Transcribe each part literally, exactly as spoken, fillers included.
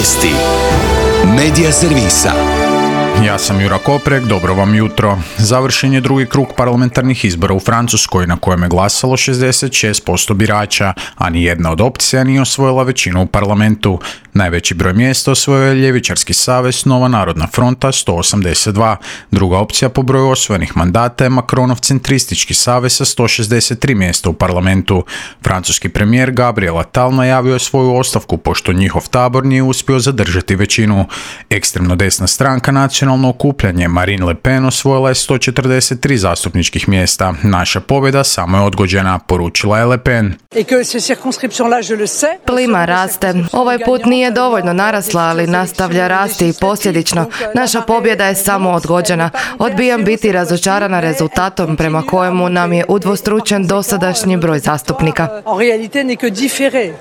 Vijesti Medija servisa. Ja sam Jura Koprek, dobro vam jutro. Završen je drugi krug parlamentarnih izbora u Francuskoj na kojem je glasalo šezdeset šest posto birača, a ni jedna od opcija nije osvojila većinu u parlamentu. Najveći broj mjesta osvojio je ljevičarski savez Nova narodna fronta sto osamdeset dva. Druga opcija po broju osvojenih mandata je Macronov centristički savez sa sto šezdeset tri mjesta u parlamentu. Francuski premijer Gabriel Attal najavio je svoju ostavku pošto njihov tabor nije uspio zadržati većinu. Ekstremno desna stranka Nacionalno okupljanje Marine Le Pen osvojila je sto četrdeset tri zastupničkih mjesta. Naša pobjeda samo je odgođena, poručila je Le Pen. Plima raste. Ovaj put nije dovoljno narasla, ali nastavlja rasti i posljedično. Naša pobjeda je samo odgođena. Odbijam biti razočarana rezultatom prema kojemu nam je udvostručen dosadašnji broj zastupnika.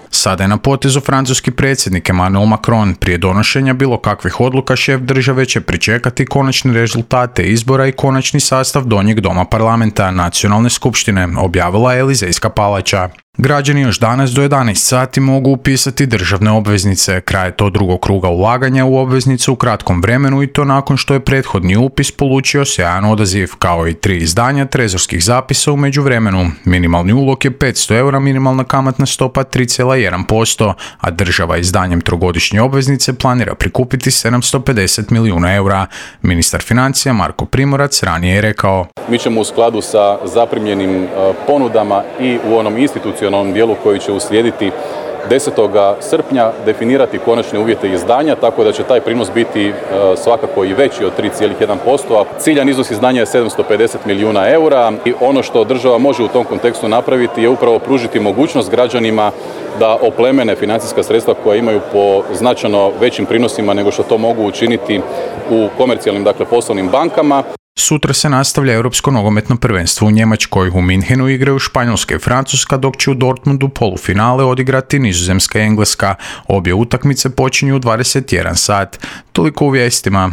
Sada je na potezu francuski predsjednik Emmanuel Macron. Prije donošenja bilo kakvih odluka šef države će pričekati konačne rezultate izbora i konačni sastav donjeg doma parlamenta Nacionalne skupštine, objavila je Elizejska palača. Građani još danas do jedanaest sati mogu upisati državne obveznice. Kraj je to drugog kruga ulaganja u obveznice u kratkom vremenu i to nakon što je prethodni upis polučio sjajan odaziv, kao i tri izdanja trezorskih zapisa u međuvremenu. Minimalni ulog je petsto eura, minimalna kamatna stopa tri zarez jedan posto, a država izdanjem trogodišnje obveznice planira prikupiti sedamsto pedeset milijuna eura. Ministar financija Marko Primorac ranije je rekao: Mi ćemo u skladu sa zaprimljenim ponudama i u onom institucionalnom dijelu koji će uslijediti desetog srpnja definirati konačne uvjete izdanja, tako da će taj prinos biti svakako i veći od tri zarez jedan posto, a ciljan iznos izdanja je sedamsto pedeset milijuna eura. I ono što država može u tom kontekstu napraviti je upravo pružiti mogućnost građanima da oplemene financijska sredstva koja imaju po značajno većim prinosima nego što to mogu učiniti u komercijalnim, dakle poslovnim bankama. Sutra se nastavlja Europsko nogometno prvenstvo u Njemačkoj. U Minhenu igraju Španjolska i Francuska, dok će u Dortmundu polufinale odigrati Nizozemska i Engleska. Obje utakmice počinju u dvadeset jedan sat. Toliko u vijestima.